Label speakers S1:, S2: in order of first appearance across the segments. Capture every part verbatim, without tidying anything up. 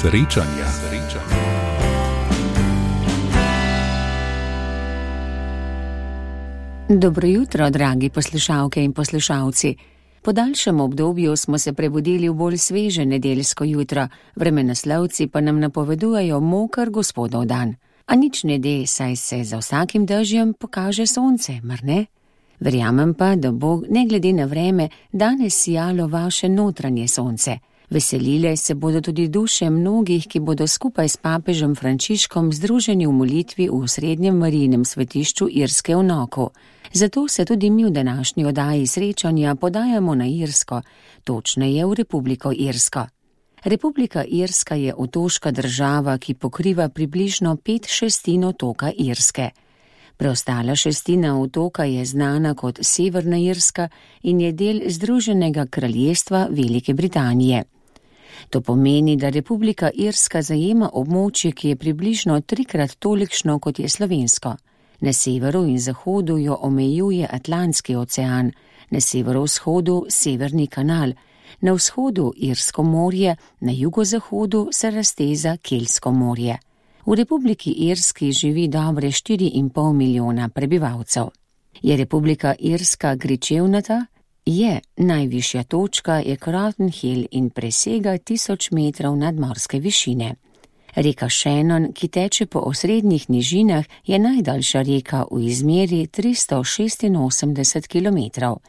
S1: Srečanja.
S2: Dobro jutro, dragi poslušalke in poslušalci. Po daljšem obdobju smo se prebudili v bolj sveže nedeljsko jutro, vremenoslovci pa nam napovedujejo moker gospodov dan. A nič ne de, saj se za vsakim dežjem pokaže sonce, mar ne? Verjamem pa, da bo, ne glede na vreme, danes sijalo vaše notranje sonce. Veselile se bodo tudi duše mnogih, ki bodo skupaj s papežem Frančiškom združeni v molitvi v srednjem Marijinem svetišču Irske v Knoku. Zato se tudi mi v današnji oddaji srečanja podajamo na Irsko, točneje v Republiko Irsko. Republika Irska je otoška država, ki pokriva približno pet šestin otoka Irske. Preostala šestina otoka je znana kot Severna Irska in je del Združenega kraljestva Velike Britanije. To pomeni, da Republika Irska zajema območje, ki je približno trikrat tolikšno, kot je slovensko. Na severu in zahodu jo omejuje Atlantski ocean, na severovzhodu Severni kanal, na vzhodu Irsko morje, na jugozahodu se razteza Keltsko morje. V Republiki Irski živi dobre štiri in pol milijona prebivalcev. Je Republika Irska gričevnata? Je, najvišja točka je Croton Hill in presega tisoč metrov nadmorske višine. Reka Shannon, ki teče po osrednjih nižinah, je najdaljša reka v izmeri tristo šestinosemdeset kilometrov.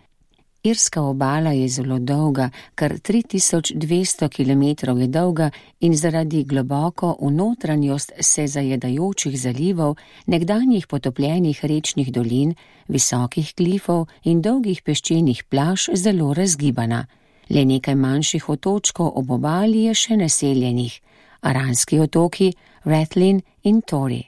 S2: Irska obala je zelo dolga, kar tri tisoč dvesto kilometrov je dolga in zaradi globoko v notranjost se zajedajočih zalivov, nekdanjih potopljenih rečnih dolin, visokih klifov in dolgih peščenih plaž zelo razgibana. Le nekaj manjših otočkov ob obali je še naseljenih, Aranski otoki, Rathlin in Tory.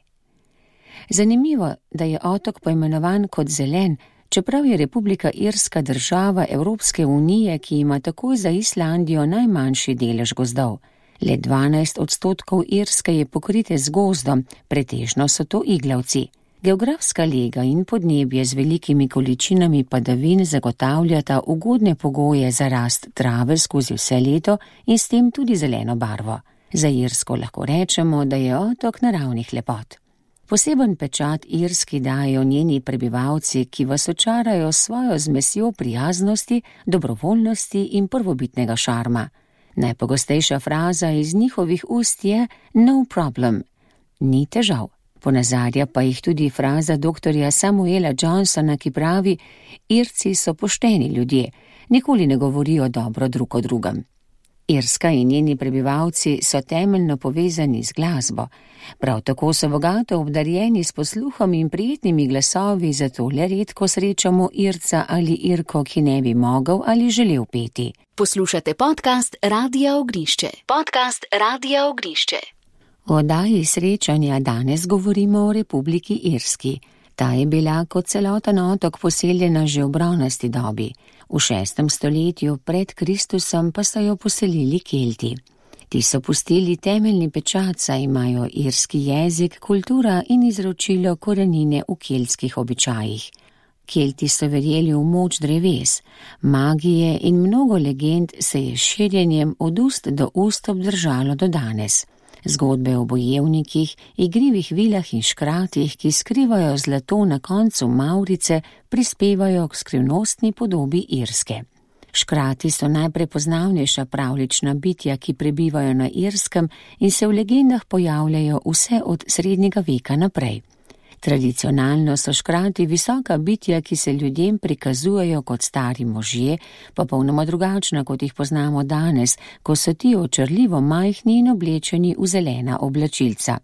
S2: Zanimivo, da je otok poimenovan kot zelen, čeprav je Republika Irska država Evropske unije, ki ima takoj za Islandijo najmanjši delež gozdov. Le dvanajst odstotkov Irske je pokrite z gozdom, pretežno so to iglavci. Geografska lega in podnebje z velikimi količinami padavin zagotavljata ugodne pogoje za rast trave skozi vse leto in s tem tudi zeleno barvo. Za Irsko lahko rečemo, da je otok naravnih lepot. Poseben pečat Irski dajo njeni prebivalci, ki vas očarajo svojo zmesjo prijaznosti, dobrovoljnosti in prvobitnega šarma. Najpogostejša fraza iz njihovih ust je no problem, ni težav. Ponazarja pa jih tudi fraza doktorja Samuela Johnsona, ki pravi: Irci so pošteni ljudje, nikoli ne govorijo dobro drug o drugem. Irska in njeni prebivalci so temeljno povezani z glasbo. Prav tako so bogato obdarjeni s posluhom in prijetnimi glasovi, zato le redko srečamo Irca ali Irko, ki ne bi mogel ali želel peti.
S3: Poslušate podcast Radia Ognišče. Podcast Radia Ognišče.
S2: V oddaji srečanja danes govorimo o Republiki Irski. Ta je bila kot celoten otok poseljena že v bronasti dobi. V šestem stoletju pred Kristusom pa so jo poselili Kelti. Ti so pustili temeljni pečat, saj imajo irski jezik, kultura in izročilo korenine v keltskih običajih. Kelti so verjeli v moč dreves, magije in mnogo legend se je širjenjem od ust do ust obdržalo do danes. Zgodbe o bojevnikih, igrivih vilah in škratih, ki skrivajo zlato na koncu mavrice, prispevajo k skrivnostni podobi Irske. Škrati so najprepoznavnejša pravljična bitja, ki prebivajo na Irskem in se v legendah pojavljajo vse od srednjega veka naprej. Tradicionalno so škrati visoka bitja, ki se ljudem prikazujejo kot stari možje, popolnoma drugačna, kot jih poznamo danes, ko so ti očarljivo majhni in oblečeni v zelena oblačilca.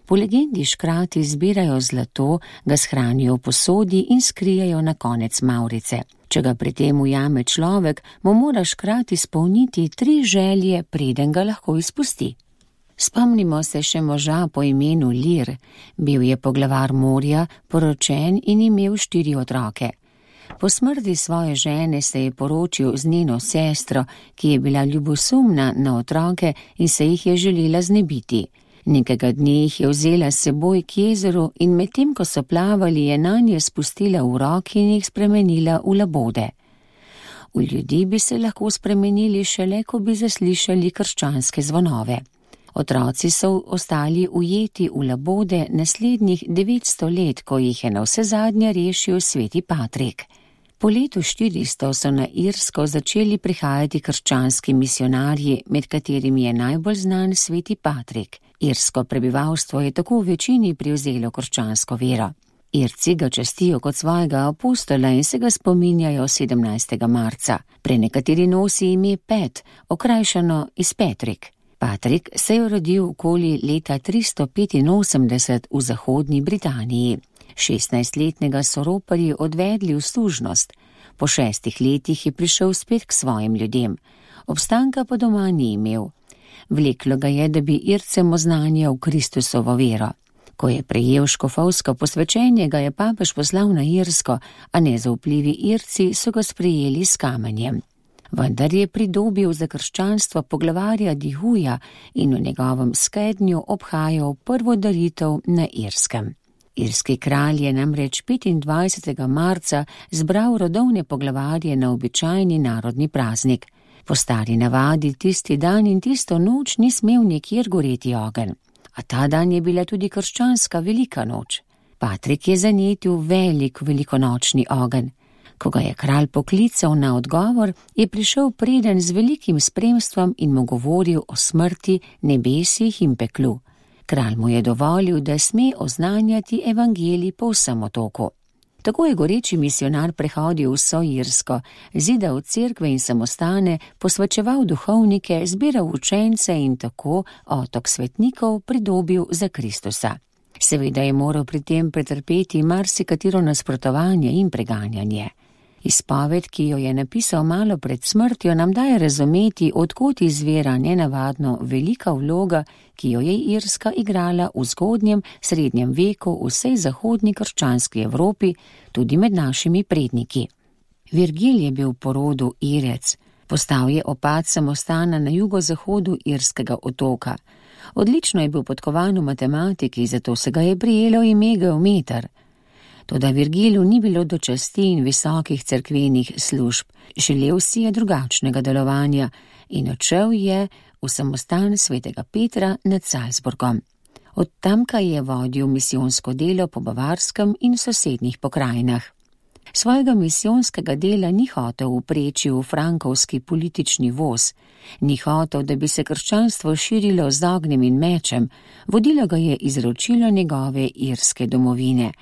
S2: Po legendi škrati zbirajo zlato, ga shranijo v posodi in skrijejo na konec mavrice. Če ga pri tem ujame človek, mu mora škrat izpolniti tri želje, preden ga lahko izpusti. Spomnimo se še moža po imenu Lir. Bil je poglavar morja, poročen in imel štiri otroke. Po smrti svoje žene se je poročil z njeno sestro, ki je bila ljubosumna na otroke in se jih je želela znebiti. Nekega dne jih je vzela s seboj k jezeru in medtem, ko so plavali, je nanje spustila uroki in jih spremenila v labode. V ljudi bi se lahko spremenili šele, ko bi zaslišali krščanske zvonove. Otroci so ostali ujeti v labode naslednjih devetsto let, ko jih je navsezadnje rešil sveti Patrik. Po letu štiristo so na Irsko začeli prihajati krščanski misionarji, med katerimi je najbolj znan sveti Patrik. Irsko prebivalstvo je tako v večini prevzelo krščansko vero. Irci ga častijo kot svojega apostola in se ga spominjajo sedemnajstega marca. Prenekateri nosi ime Pet, okrajšano iz Petrik. Patrik se je rodil okoli leta tristo petinosemdeset v zahodni Britaniji. šestnajstletnega so roparji odvedli v služnost. Po šestih letih je prišel spet k svojim ljudem. Obstanka pa doma ni imel. Vleklo ga je, da bi Ircem oznanjal Kristusovo vero. Ko je prejel škofovsko posvečenje, ga je papež poslal na Irsko, a nezaupljivi Irci so ga sprejeli s kamenjem. Vendar je pridobil za krščanstvo poglavarja Dihuja in v njegovem skednju obhajal prvo daritev na Irskem. Irski kralj je namreč petindvajsetega marca zbral rodovne poglavarje na običajni narodni praznik. Po stari navadi tisti dan in tisto noč ni smel nikjer goreti ogenj. A ta dan je bila tudi krščanska velika noč. Patrik je zanetil velik velikonočni ogenj. Ko ga je kralj poklical na odgovor, je prišel preden z velikim spremstvom in mu govoril o smrti, nebesih in peklu. Kralj mu je dovolil, da sme oznanjati evangelij po vsem otoku. Tako je goreči misionar prehodil vso Irsko, zidal cerkve in samostane, posvečeval duhovnike, zbiral učence in tako otok svetnikov pridobil za Kristusa. Seveda je moral pri tem pretrpeti marsikatero nasprotovanje in preganjanje. Izpoved, ki jo je napisal malo pred smrtjo, nam daje razumeti, odkot izvira nenavadno velika vloga, ki jo je Irska igrala v zgodnjem srednjem veku v vsej zahodni krščanski Evropi, tudi med našimi predniki. Virgil je bil po rodu Irec, postal je opat samostana na jugozahodu irskega otoka. Odlično je bil podkovan v matematiki, zato se ga je prijelo ime geometer. Toda Virgilu ni bilo do časti in visokih cerkvenih služb, želel si je drugačnega delovanja in odšel je v samostan svetega Petra nad Salzburgom. Od tamkaj je vodil misijonsko delo po Bavarskem in sosednjih pokrajinah. Svojega misijonskega dela ni hotel upreči v frankovski politični voz, ni hotel, da bi se krščanstvo širilo z ognjem in mečem, vodilo ga je izročilo njegove irske domovine.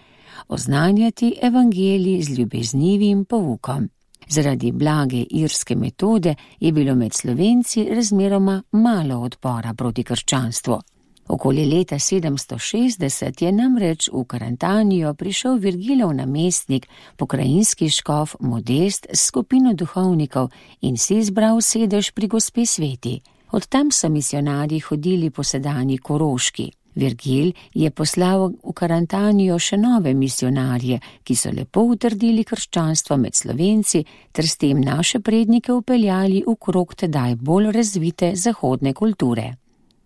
S2: Oznanjati evangelij z ljubeznivim poukom. Zaradi blage irske metode je bilo med Slovenci razmeroma malo odpora proti krščanstvu. Okoli leta sedemsto šestdeset je namreč v Karantanijo prišel Virgilov namestnik, pokrajinski škof Modest s skupino duhovnikov in si izbral sedež pri gospe Sveti. Od tam so misionarji hodili po sedanji Koroški. Virgil je poslal v Karantanijo še nove misionarje, ki so lepo utrdili krščanstvo med Slovenci ter s tem naše prednike upeljali v krog tedaj bolj razvite zahodne kulture.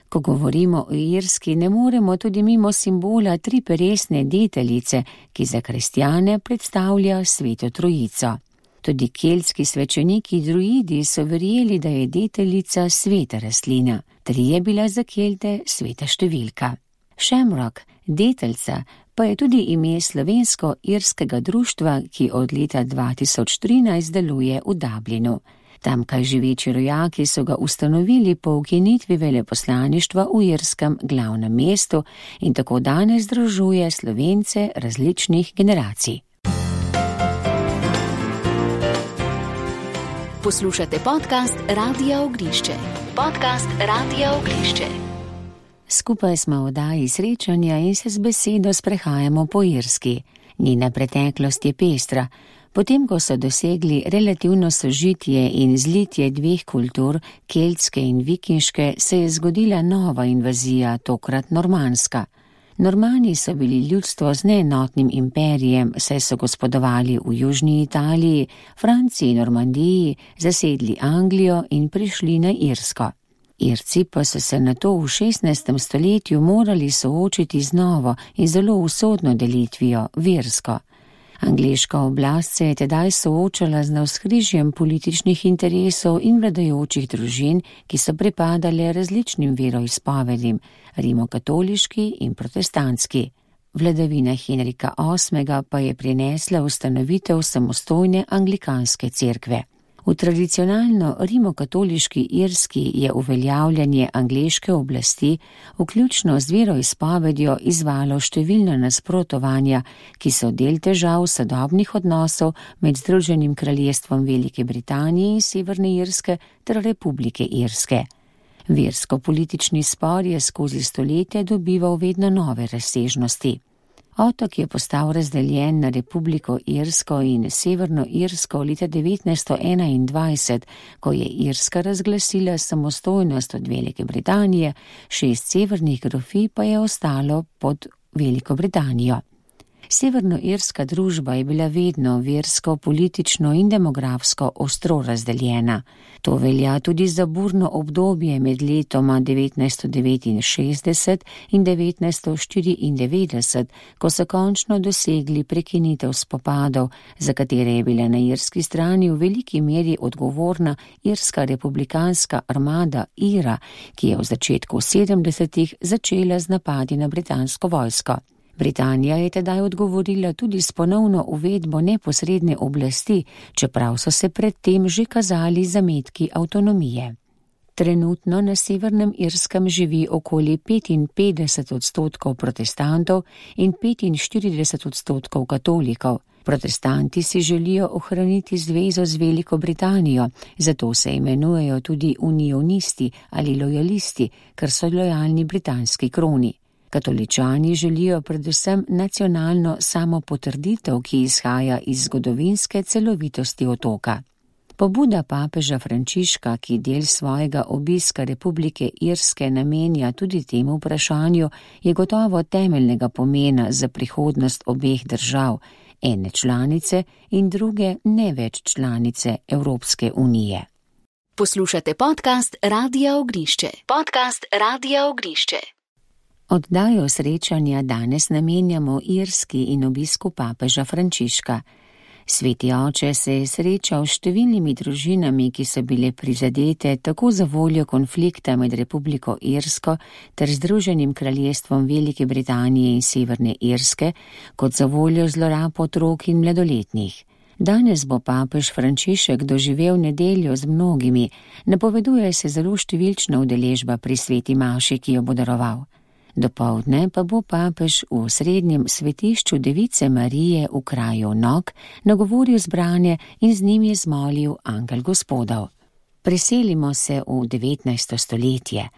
S2: Ko govorimo o Irski, ne moremo tudi mimo simbola triperesne deteljice, ki za kristjane predstavlja Sveto Trojico. Tudi keltski svečeniki druidi so verjeli, da je deteljica sveta rastlina, tri je bila za Kelte sveta številka. Shamrock, deteljica, pa je tudi ime slovensko-irskega društva, ki od leta dva tisoč trinajst deluje v Dublinu. Tamkaj živeči rojaki so ga ustanovili po ukinitvi veleposlaništva v irskem glavnem mestu in tako danes združuje Slovence različnih generacij.
S3: Poslušate podcast Radia Ognišče. Podcast Radia Ognišče.
S2: Skupaj smo v oddaji srečanja in se z besedo sprehajamo po Irski. Njena preteklost je pestra. Potem, ko so dosegli relativno sožitje in zlitje dveh kultur, keltske in vikinške, se je zgodila nova invazija, tokrat normanska. Normani so bili ljudstvo z neenotnim imperijem, saj so gospodovali v južni Italiji, Franciji in Normandiji, zasedli Anglijo in prišli na Irsko. Irci pa so se nato v šestnajstem stoletju morali soočiti z novo in zelo usodno delitvijo, versko. Angleška oblast se je tedaj soočala z navzkrižjem političnih interesov in vladajočih družin, ki so pripadale različnim veroizpovedim, rimokatoliški in protestantski. Vladavina Henrika osmega pa je prinesla ustanovitev samostojne anglikanske cerkve. V tradicionalno rimokatoliški Irski je uveljavljanje angleške oblasti, vključno z veroizpovedjo, izvalo številna nasprotovanja, ki so del težav sodobnih odnosov med Združenim kraljestvom Velike Britanije in Severne Irske ter Republike Irske. Versko-politični spor je skozi stoletja dobival vedno nove razsežnosti. Otok je postal razdeljen na Republiko Irsko in Severno Irsko leta devetnajststo enaindvajset, ko je Irska razglasila samostojnost od Velike Britanije, šest severnih grofij pa je ostalo pod Veliko Britanijo. Severnoirska družba je bila vedno versko, politično in demografsko ostro razdeljena. To velja tudi za burno obdobje med letoma devetnajststo devetinšestdeset in devetnajststo štiriindevetdeset, ko so končno dosegli prekinitev spopadov, za katere je bila na irski strani v veliki meri odgovorna irska republikanska armada IRA, ki je v začetku sedemdesetih začela z napadi na britansko vojsko. Britanija je tedaj odgovorila tudi s ponovno uvedbo neposredne oblasti, čeprav so se predtem že kazali zametki avtonomije. Trenutno na Severnem Irskem živi okoli petinpetdeset odstotkov protestantov in petinštirideset odstotkov katolikov. Protestanti si želijo ohraniti zvezo z Veliko Britanijo, zato se imenujejo tudi unionisti ali lojalisti, ker so lojalni britanski kroni. Katoličani želijo predvsem nacionalno samopotrditev, ki izhaja iz zgodovinske celovitosti otoka. Pobuda papeža Frančiška, ki del svojega obiska Republike Irske namenja tudi temu vprašanju, je gotovo temeljnega pomena za prihodnost obeh držav, ene članice in druge ne več članice Evropske unije.
S3: Poslušate podcast Radia Ognišče. Podcast Radia Ognišče.
S2: Oddajo srečanja danes namenjamo Irski in obisku papeža Frančiška. Sveti oče se je srečal s številnimi družinami, ki so bile prizadete tako za voljo konflikta med Republiko Irsko ter Združenim kraljestvom Velike Britanije in Severne Irske, kot za voljo zlorab otrok in mladoletnih. Danes bo papež Frančišek doživel nedeljo z mnogimi, napoveduje se zelo številčna udeležba pri sveti maši, ki jo bo daroval. Dopoldne pa bo papež v srednjem svetišču Device Marije v kraju Nog nagovoril zbrane in z njimi zmolil angel Gospodov. Preselimo se v devetnajsto stoletje.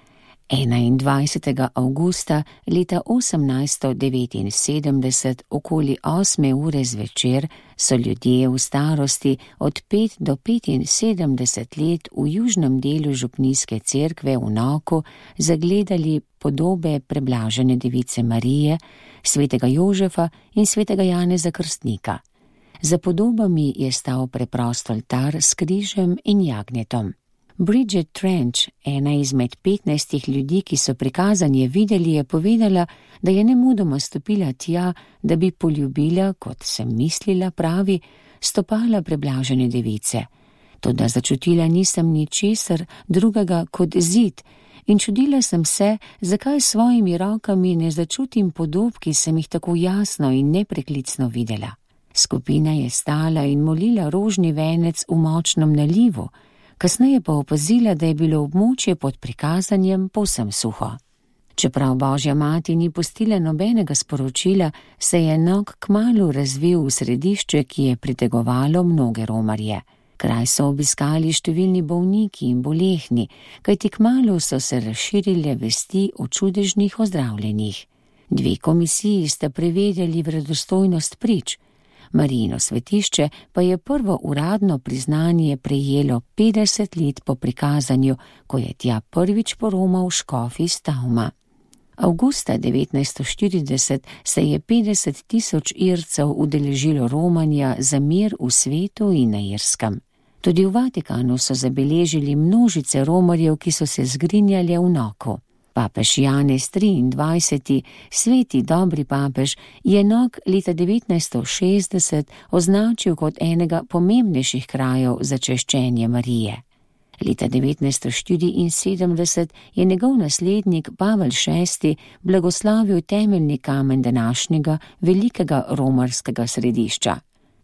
S2: enaindvajsetega avgusta leta osemnajststo devetinsedemdeset okoli osme ure zvečer so ljudje v starosti od pet do petinsedemdeset let v južnem delu župnijske cerkve v Nogu zagledali podobe preblažene Device Marije, svetega Jožefa in svetega Janeza Krstnika. Za podobami je stal preprost oltar s križem in jagnjetom. Bridget Trench, ena izmed petnajstih ljudi, ki so prikazanje videli, je povedala, da je nemudoma stopila tja, da bi poljubila, kot sem mislila, pravi, stopala preblažene device. Toda začutila nisem ničesar drugega kot zid in čudila sem se, zakaj s svojimi rokami ne začutim podob, ki sem jih tako jasno in nepreklicno videla. Skupina je stala in molila rožni venec v močnem nalivu, kasneje pa opazila, da je bilo območje pod prikazanjem povsem suho. Čeprav Božja mati ni pustila nobenega sporočila, se je Nog kmalu razvil v središče, ki je pritegovalo mnoge romarje. Kraj so obiskali številni bolniki in bolehni, kajti kmalu so se razširile vesti o čudežnih ozdravljenjih. Dve komisiji sta preverjali verodostojnost prič. Marijino svetišče pa je prvo uradno priznanje prejelo petdeset let po prikazanju, ko je tja prvič poromal škof iz Tauma. Avgusta devetnajststo štirideset se je petdeset tisoč Ircev udeležilo romanja za mir v svetu in na Irskem. Tudi v Vatikanu so zabeležili množice romarjev, ki so se zgrinjali v Nogu. Papež Janez triindvajseti, sveti dobri papež, je Nog leta devetnajststo šestdeset označil kot enega pomembnejših krajev za češčenje Marije. Leta devetnajststo štiriinsedemdeset je njegov naslednik Pavel šesti blagoslovil temeljni kamen današnjega velikega romarskega središča.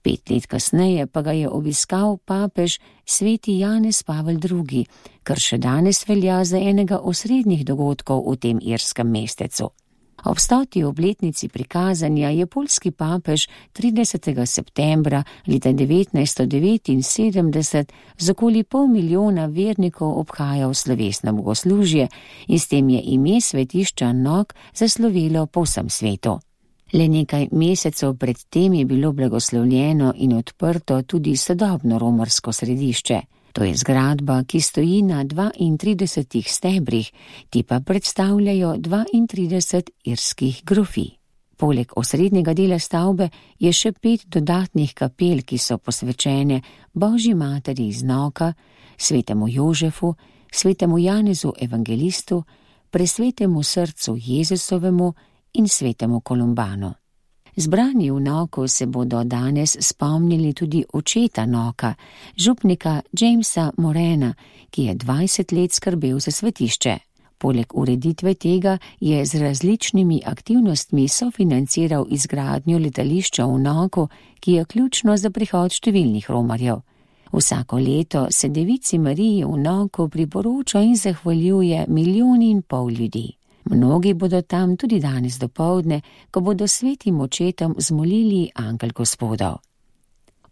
S2: Pet let kasneje pa ga je obiskal papež sveti Janez Pavel drugi, kar še danes velja za enega osrednjih dogodkov v tem irskem mestecu. Ob stoti obletnici prikazanja je poljski papež tridesetega septembra leta devetnajststo devetinsedemdeset z okoli pol milijona vernikov obhajal slovesno bogoslužje in s tem je ime svetišča Nog zaslovelo po vsem svetu. Le nekaj mesecev pred tem je bilo blagoslovljeno in odprto tudi sodobno romarsko središče. To je zgradba, ki stoji na dvaintridesetih stebrih, ti pa predstavljajo dvaintrideset irskih grofij. Poleg osrednjega dela stavbe je še pet dodatnih kapel, ki so posvečene Božji materi iz Noga, svetemu Jožefu, svetemu Janezu evangelistu, presvetemu srcu Jezusovemu in svetemu Kolumbanu. Zbrani v Nogu se bodo danes spomnili tudi očeta Noga, župnika Jamesa Morena, ki je dvajset let skrbel za svetišče. Poleg ureditve tega je z različnimi aktivnostmi sofinanciral izgradnjo letališča v Nogu, ki je ključno za prihod številnih Romarjev. Vsako leto se Devici Mariji v Nogu priporoča in zahvaljuje milijoni in pol ljudi. Mnogi bodo tam tudi danes dopoldne, ko bodo svetim očetom zmolili angel Gospodov.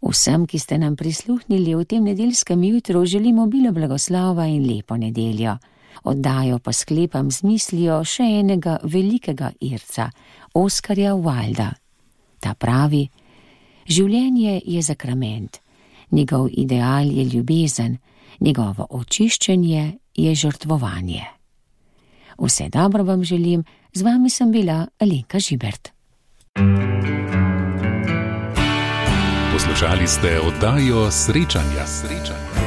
S2: Vsem, ki ste nam prisluhnili v tem nedeljskem jutru, želimo obilo blagoslova in lepo nedeljo. Oddajo pa sklepam z mislijo še enega velikega Irca, Oskarja Wilda. Ta pravi: življenje je zakrament, njegov ideal je ljubezen, njegovo očiščenje je žrtvovanje. Vse dobro vam želim, z vami sem bila Alenka Žibert.
S1: Poslušali ste oddajo Srečanja. Srečanja.